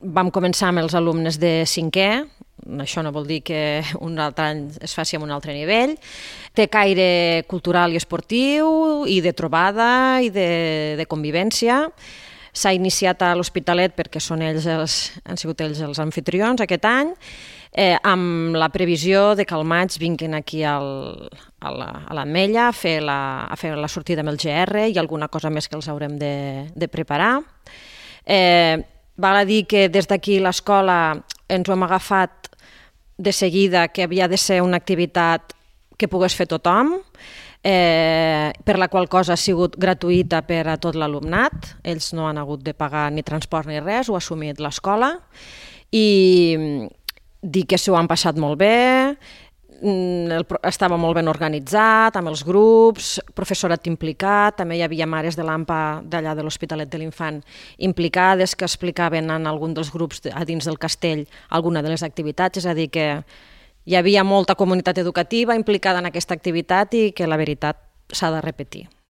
Vam començar amb els alumnes de 5è, això no vol dir que un altre any es faci amb un altre nivell. Té caire cultural i esportiu, i de trobada, i de convivència. S'ha iniciat a l'Hospitalet perquè han sigut ells els anfitrions aquest any, amb la previsió de que al maig vinguin aquí a l'Ametlla a fer la sortida amb el GR i alguna cosa més que els haurem de preparar. Val a dir que des d'aquí l'escola ens ho hem agafat de seguida que havia de ser una activitat que pogués fer tothom, per la qual cosa ha sigut gratuïta per a tot l'alumnat. Ells no han hagut de pagar ni transport ni res, ho ha assumit l'escola. I dir que s'ho han passat molt bé, estava molt ben organitzat, amb els grups, professorat implicat, també hi havia mares de l'AMPA d'allà de l'Hospitalet de l'Infant implicades que explicaven en algun dels grups a dins del castell alguna de les activitats, és a dir que hi havia molta comunitat educativa implicada en aquesta activitat i que la veritat s'ha de repetir.